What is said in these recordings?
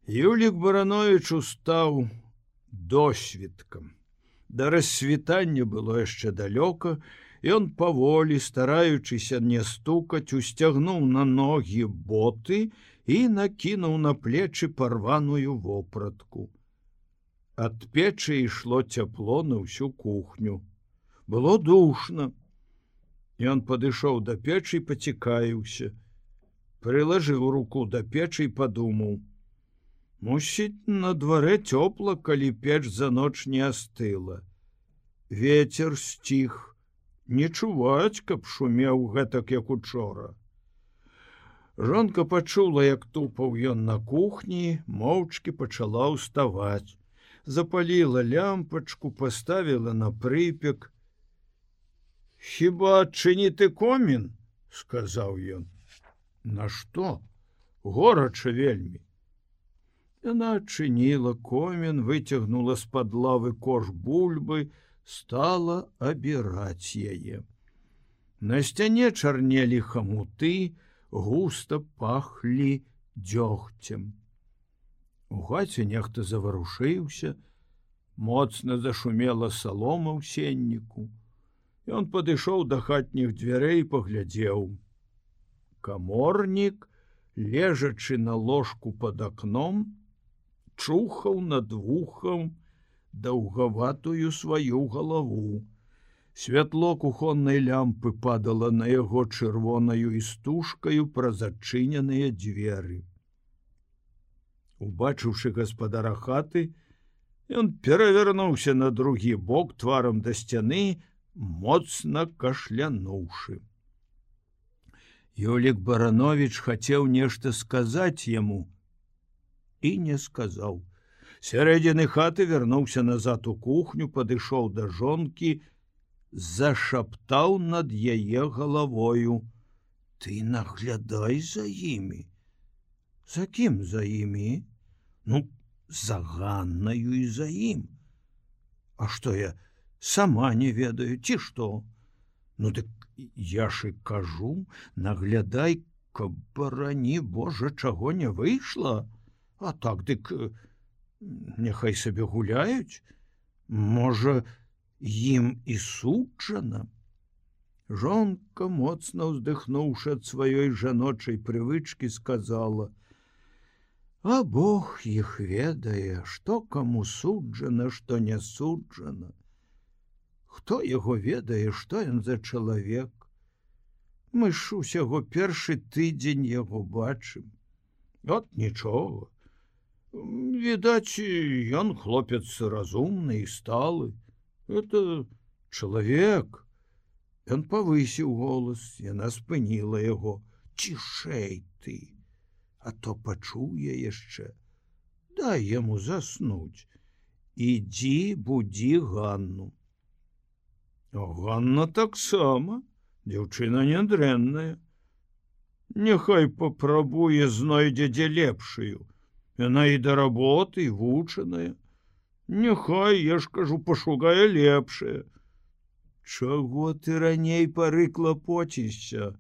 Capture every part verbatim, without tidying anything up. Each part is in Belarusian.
Юлік Баранович устаў досвіткам. Да рассвітання было яшчэ далёка, ён паволі, стараючыся не стукаць, усцягнуў на ногі боты і накінуў на плечы парваную вопратку. Ад печы ішло цяпло на ўсю кухню. Было душна. Ён падышоў да печы і пацікавіўся. Прылажыў руку да печы і падумаў: мусіць, на дварэ цёпла, калі печ за ноч не астыла. Вецер сціх, не чуваць, каб шумеў гэтак, як учора. Жонка пачула, як тупаў ён на кухні, моўчкі пачала ўставаць. Запаліла лямпачку, паставіла на прыпек. «Хіба адчыніты комін?» — сказаў ён. «Нашто? Горача вельмі». Яна адчыніла комін, выцягнула з-пад лавы кош бульбы, стала абіраць яе. На сцяне чарнелі хамуты, густа пахлі дзёгцем. У хаце нехта заварушыўся, моцна зашумела салома ў сенніку. Ён падышоў да хатніх дзвярэй і паглядзеў. Каморнік, лежачы на ложку пад акном, чухаў над вухам даўгаватую сваю галаву. Святло кухоннай лямпы падала на яго чырвонаю істужкаю праз адчыненыя дзверы. Убачыўшы гаспадара хаты, ён перавярнуўся на другі бок тварам да сцяны, моцна кашлянуўшы. Юлік Баранович хацеў нешта сказаць яму і не сказаў. Сярэдзіны хаты вярнуўся назад у кухню, падышоў да жонкі, зашаптаў над яе галавою: «Ты наглядай за імі». «За кім за імі?» «Ну, за Ганнаю і за ім». «А што я сама не ведаю, ці што?» «Ну, дык я ж і кажу, наглядай, каб, барані Божа, чаго не выйшла. А так, дык няхай сабе гуляюць. Можа, ім і суджана». Жонка, моцна ўздыхнуўшы ад сваёй жаночай прывычкі, сказала: «А Бог іх ведае, што каму суджана, што не суджана. Хто яго ведае, што ён за чалавек? Мы ж усяго першы тыдзень яго бачым. От нічога. Відаць, ён хлопец разумны і сталы. Это чалавек». Ён павысіў голас, яна спыніла яго: «Цішэй ты, а то пачуе яшчэ. Дай яму заснуць. Ідзі, будзі Ганну». А Ганна таксама, дзяўчына нядрэнная. Няхай папрабуе, знойдзе дзе лепшую. Яна і да работы, і вучаная. Няхай, я ж кажу, пашукае лепшае. Чаго ты раней пары клапоцішся?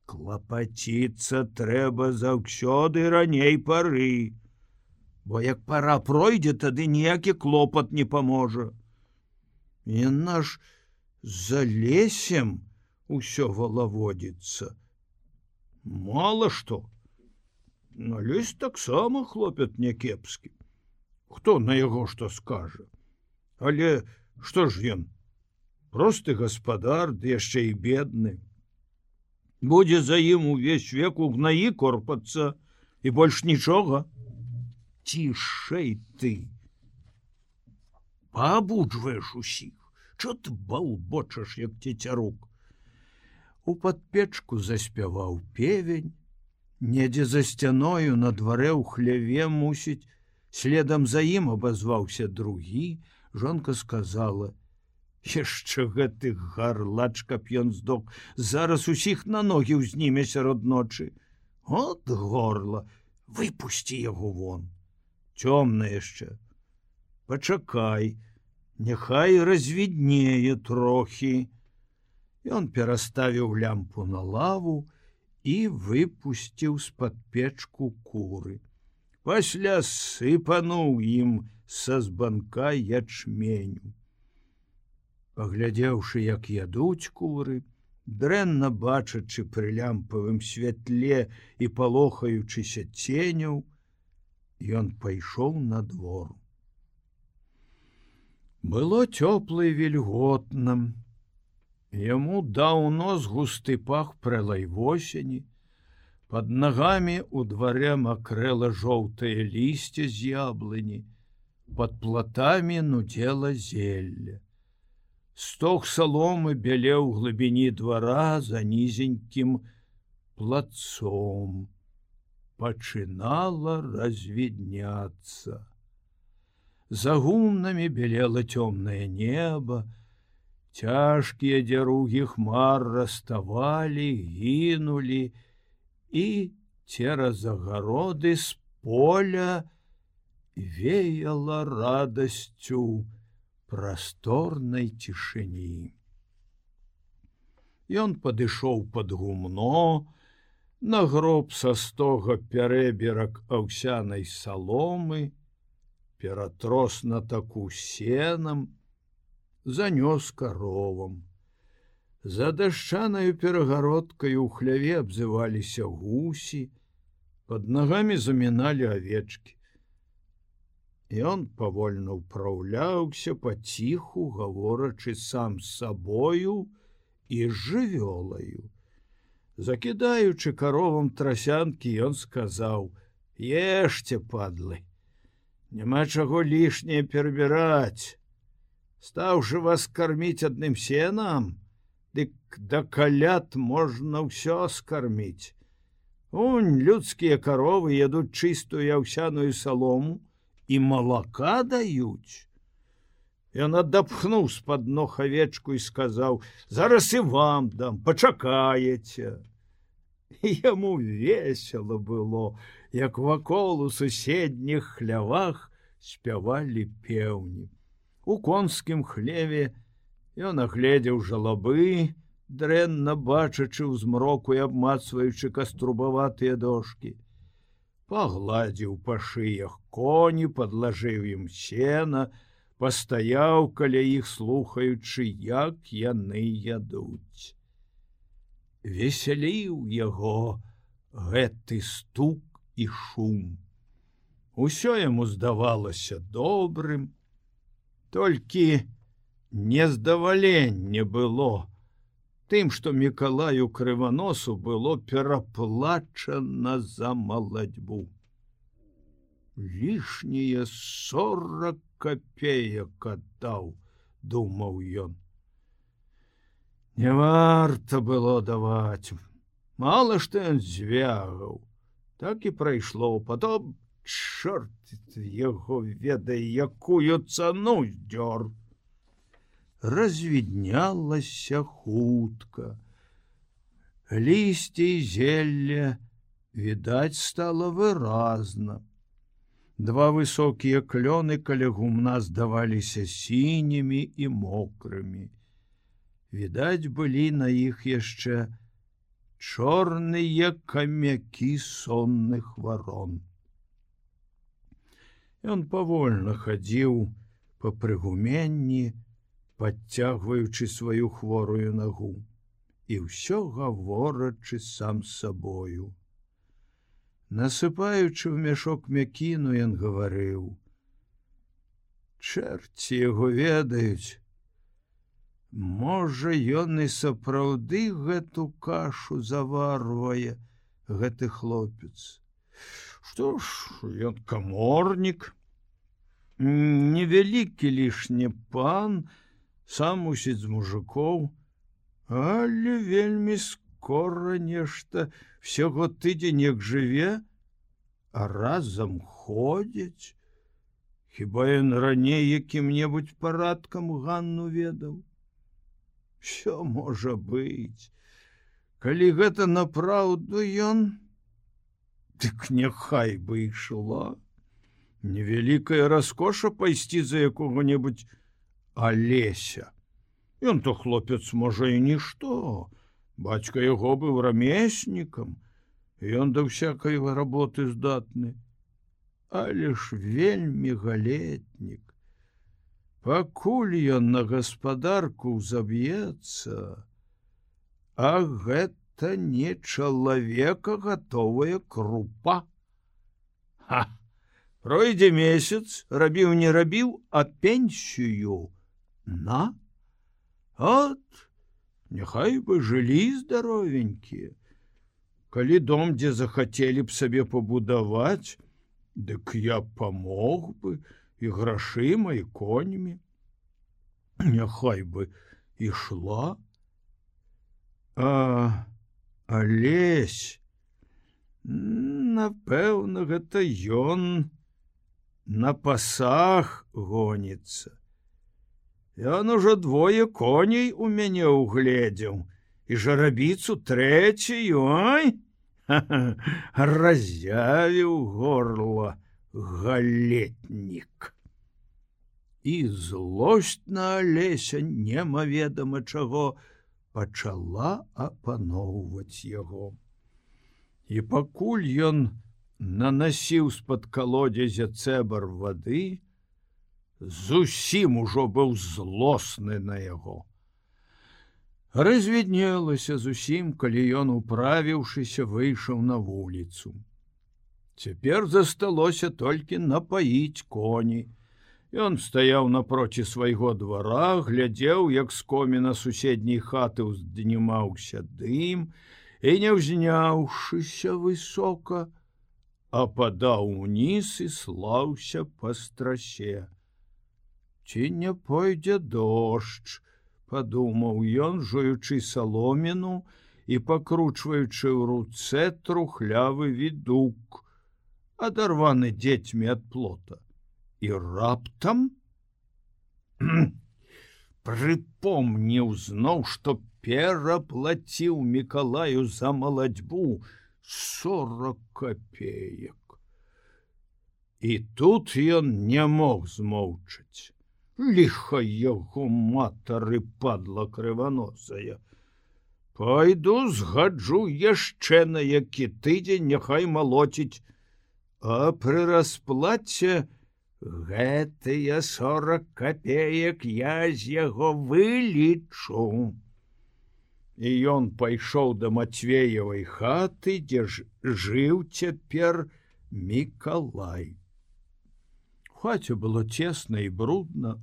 Клапаціцца трэба заўсёды раней пары. Бо як пара пройдзе, тады ніякі клопат не паможа. Яна ж за лесем усё валаводзіцца. Мала што. На лесь таксама хлопят някепскі. Хто на яго што скажа? Але што ж ён? Просты гаспадар, ды яшчэ і бедны. Будзе за ім увесь век у гнаі корпацца, і больш нічога. Цішэй ты. Паабуджваеш усіх. Чо ты балбочаш, як цецярук? У падпечку заспяваў певень. Недзе за сцяною на дварэ ў хляве, мусіць, следам за ім абазваўся другі. Жонка сказала: «Яшчэ гэты гарлач, каб ён здох, зараз усіх на ногі ўзніме сярод ночы. От горла, выпусці яго вон. Цёмна яшчэ. Пачакай, няхай развіднее трохі». Ён пераставіў лямпу на лаву і выпусціў з-пад печку куры. пасля сыпануў ім са збанка ячменю. Паглядзеўшы, як ядуць куры, дрэнна бачачы пры лямпавым святле і палохаючыся ценяў, ён пайшоў на двор. Было цёпла і вільготна. Яму даўно з густы пах прэлай восені. Пад нагамі у дварэ макрэла жоўтае лісце з яблыні. Пад платамі нудзела зелля. Стог саломы бялеў у глыбіні двара за нізенькім плацом. Пачынала развідняцца. За гумнамі белела цёмнае неба, цяжкія дзяругі хмар раставалі, гінулі, і цераз агароды з поля веяла радасцю прасторнай цішыні. Ён падышоў пад гумно, нагроб са стога пярэберак аўсянай саломы, ператрос на таку сенам, занёс каровам. За дашчанаю перагародкаю ў хляве абзываліся гусі, пад нагамі заміналі авечкі. Ён павольна ўпраўляўся паціху, гаворачы сам з сабою і з жывёлаю. Закідаючы каровам трасянкі, ён сказаў: «Ешце, падлы, няма чаго лішняе перабіраць. Стаўшы вас карміць адным сенам, дык да каляд можна ўсё скарміць. Унь, людскія каровы ядуць чыстую аўсяную салому і малака даюць». Ён адапхнуў з-пад ног авечку і сказаў: «Зараз і вам дам, пачакаеце». Яму весела было, як вакол у суседніх хлявах спявалі пеўні. У конскім хлеве ён агледзеў жалабы, дрэнна бачачы ў змроку і абмацваючы каструбаватыя дошкі. Пагладзіў па шыях коні, падлажыў ім сена, пастаяў каля іх, слухаючы, як яны ядуць. Весяліў яго гэты стук і шум. Усё яму здавалася добрым, толькі нездаваленне было тым, што Мікалаю Крываносу было пераплачана за малацьбу. Лішнія сорак капеек аддаў, думаў ён. Не варта было даваць. Мала што ён звягаў. Так і прайшло. Потом, чорт яго ведае, якую цану здёр. Развіднялася хутка. Лісце і зелля відаць стала выразна. Два высокія клёны каля гумна здаваліся сінімі і мокрымі. Відаць былі на іх яшчэ чорныя камякі сонных варон. Ён павольна хадзіў па прыгуменні, падцягваючы сваю хворую нагу, і ўсё гаворачы сам з сабою. Насыпаючы ў мяшок мякіну, ён гаварыў: «Чэрці яго ведаюць, можа, ён і сапраўды гэту кашу заварвае, гэты хлопец. Што ж, ён каморнік, невялікі лішні пан, сам мусіць з мужикоў, але вельмі скора нешта, всяго тыдзень як жыве, а разам ходзяць. Хіба ён раней якім-небудзь парадкам Ганну ведаў? Що можа быць? Калі гэта напраўду ён, дык няхай бы ішла. Невялікая раскоша пайсці за якога-небудзь Алеся. Ён то хлопец, можа, і нішто. Бацька яго быў рамеснікам, і ён да всякай работы здатны. але ж вельмі галетнік. Пакуль ён на гаспадарку заб'ецца, а гэта не чалавека гатовая крупа. Ха! Пройдзе месяц, рабіў не рабіў, а пенсію на. От, няхай бы жылі здаровенькія. Калі дом, дзе захацелі б сабе пабудаваць, дык я памог бы і грашыма, і коньмі. Няхай бы ішла. А Алесь, напэўна, гэта ён на пасах гоніцца. Ён ужо двое коней у мяне угледзеў, і жарабіцу трэцюю, ой, разявіў горла галетнік. І злосць на Алеся немаведама чаго пачала апаноўваць яго. І пакуль ён нанасіў з-пад калодзязя цэбар вады, зусім ужо быў злосны на яго. Развіднелася зусім, калі ён, управіўшыся, выйшаў на вуліцу. Цяпер засталося толькі напаіць коні. Ён стаяў напроці свайго двара, глядзеў, як з коміна суседняй хаты ўзднімаўся дым, і, не ўзняўшыся высока, ападаў уніз і слаўся па страсе. Ці не пойдзе дождж, падумаў ён, жуючы саломіну і пакручваючы ў руцэ трухлявы відук, адарваны дзецьмі ад плота. І раптам прыпомніў зноў, што пераплаціў Мікалаю за малацьбу сорок копеек. І тут ён не мог змоўчаць. Ліха яго матары, падла крываносая. Пайду згаджу яшчэ на які тыдзень, няхай малоціць, а пры расплаце гэтыя сорок копеек я з яго вылічу. І ён пайшоў да Мацвеевай хаты, дзе ж жыў цяпер Мікалай. У хаце было цесна і брудна,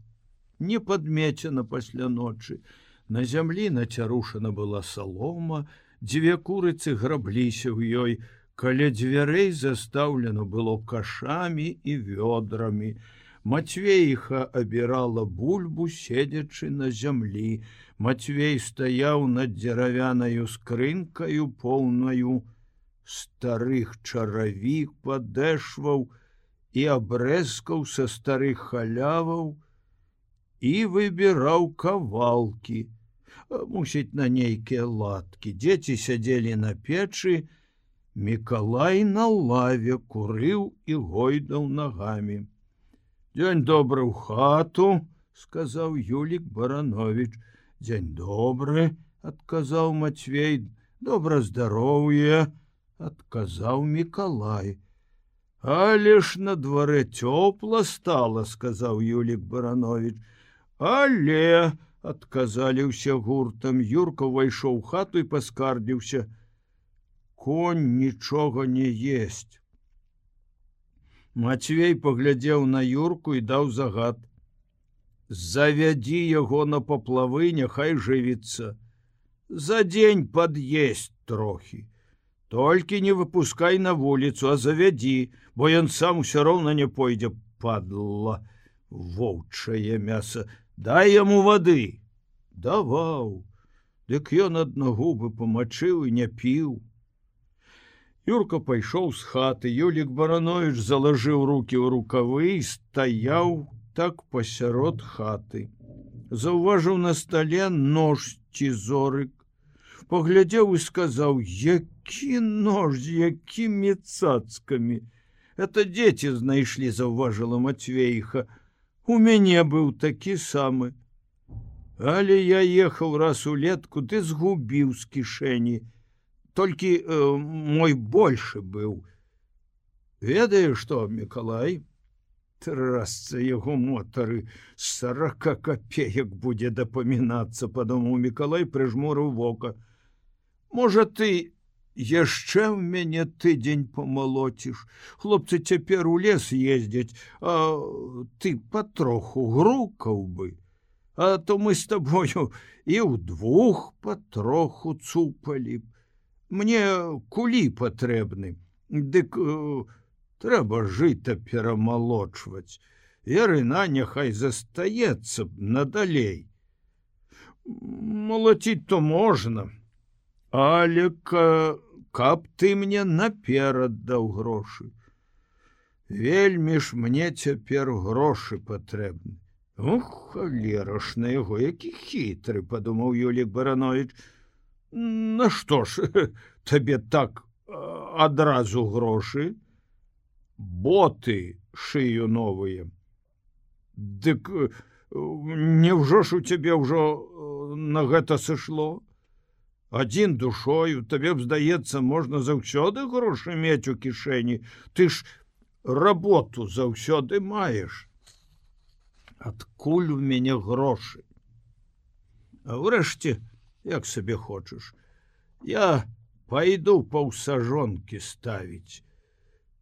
не падмецена пасля ночы. На зямлі нацярушана была салома, дзве курыцы грабліся ў ёй, каля дзвярэй застаўлена было кашамі і вёдрамі. Мацвейха абірала бульбу, седзячы на зямлі. Мацвей стаяў над дзеравянаю скрынкаю, поўнаю старых чаравік, падэшваў і абрэзкаў са старых халяваў, і выбіраў кавалкі, мусіць, на нейкія ладкі. Дзеці сядзелі на печы, Мікалай на лаве курыў і гойдаў нагамі. Дзень добры ў хату, сказаў Юлік Баранович. Дзень добры, адказаў Мацвей. Добра здароўе, адказаў Мікалай. Але ж на дварэ цёпла стала, сказаў Юлік Баранович. Але, адказалі ўсе гуртам. Юрка ўвайшоў у хату і паскардзіўся. Конь нічога не есць. Мацвей паглядзеў на Юрку і даў загад. Завядзі яго на паплавы, няхай жывіцца. За дзень пад'есць трохі. Толькі не выпускай на вуліцу, а завядзі, бо ён сам усё роўна не пойдзе, падла, воўчае мяса. Дай яму вады. Даваў. Дык ён аднагубы памачыў і не піў. Юрка пайшоў з хаты. Юлік Баранович залажыў рукі ў рукавы і стаяў так пасярод хаты. Заўважыў на стале нож цізорык. Паглядзеў і сказаў: які нож, з якімі цацкамі. Это дзеці знайшлі, заўважыла Мацвейха. У мяне быў такі самы. Але я ехаў раз улетку, ты згубіў з кішэні. Толькі э, мой большы быў. Ведаеш што, Мікалай? Трасца яго мотары, сорока копеек будзе дапамінацца, падумаў Мікалай, прыжмурыў вока. Можа, ты яшчэ ў мяне тыдзень памалоціш. Хлопцы цяпер у лес ездзяць, а ты патроху грукаў бы. А то мы з табою і ўдвух патроху цупалі б. Мне кулі патрэбны, дык трэба жыта перамалочваць. Ярына няхай застаецца б надалей. Малаціць то можна, але каб ты мне наперад даў грошы. Вельмі ж мне цяпер грошы патрэбны. Ух, халера ж на яго, які хітры, падумаў Юлік Баранович. Нашто ж табе так адразу грошы? Боты шыю новыя. Дык няўжо ж у цябе ўжо на гэта сышло? Адзін душою, табе б, здаецца, можна заўсёды грошы мець у кішэні. Ты ж работу заўсёды маеш. Адкуль у мяне грошы? А ўрэшце, як сабе хочаш, я пайду паўсажонкі ставіць.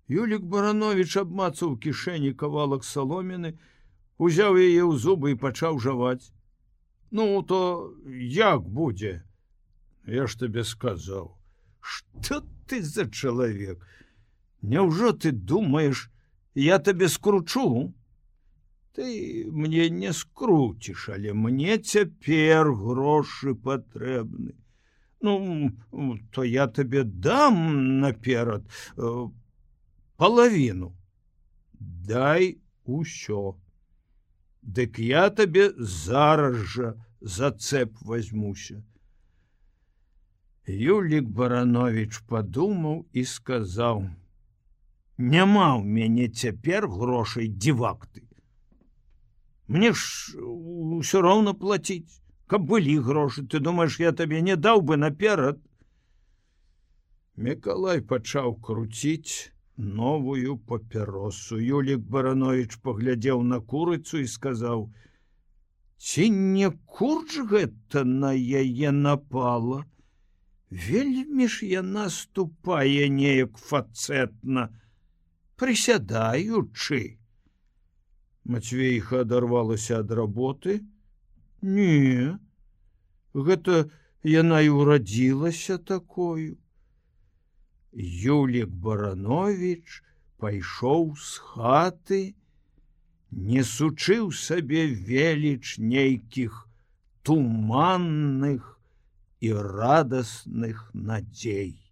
Юлік Баранович абмацаў у кішэні кавалак саломіны, узяў яе ў зубы і пачаў жаваць. Ну, то як будзе? Я ж табе сказаў. Што ты за чалавек? Няўжо ты думаеш, я табе скручу? Ты мне не скруціш, але мне цяпер грошы патрэбны. Ну, то я табе дам наперад палавіну. Дай усё. Дык я табе зараз жа за цэп возьмуся. Юлік Баранович падумаў і сказаў: няма ў мяне цяпер грошай, дзівак ты. Мне ж усё роўна плаціць. Каб былі грошы, ты думаеш, я табе не даў бы наперад? Мікалай пачаў круціць новую папяросу. Юлік Баранович паглядзеў на курыцу і сказаў: ці не курч гэта на яе напала? Вельмі ж яна ступае неяк фацэтна, прысядаючы. Мацвейха адарвалася ад работы. Не, гэта яна і ўрадзілася такою. Юлік Баранович пайшоў з хаты, несучы ў сабе веліч нейкіх туманных і радасных надзей.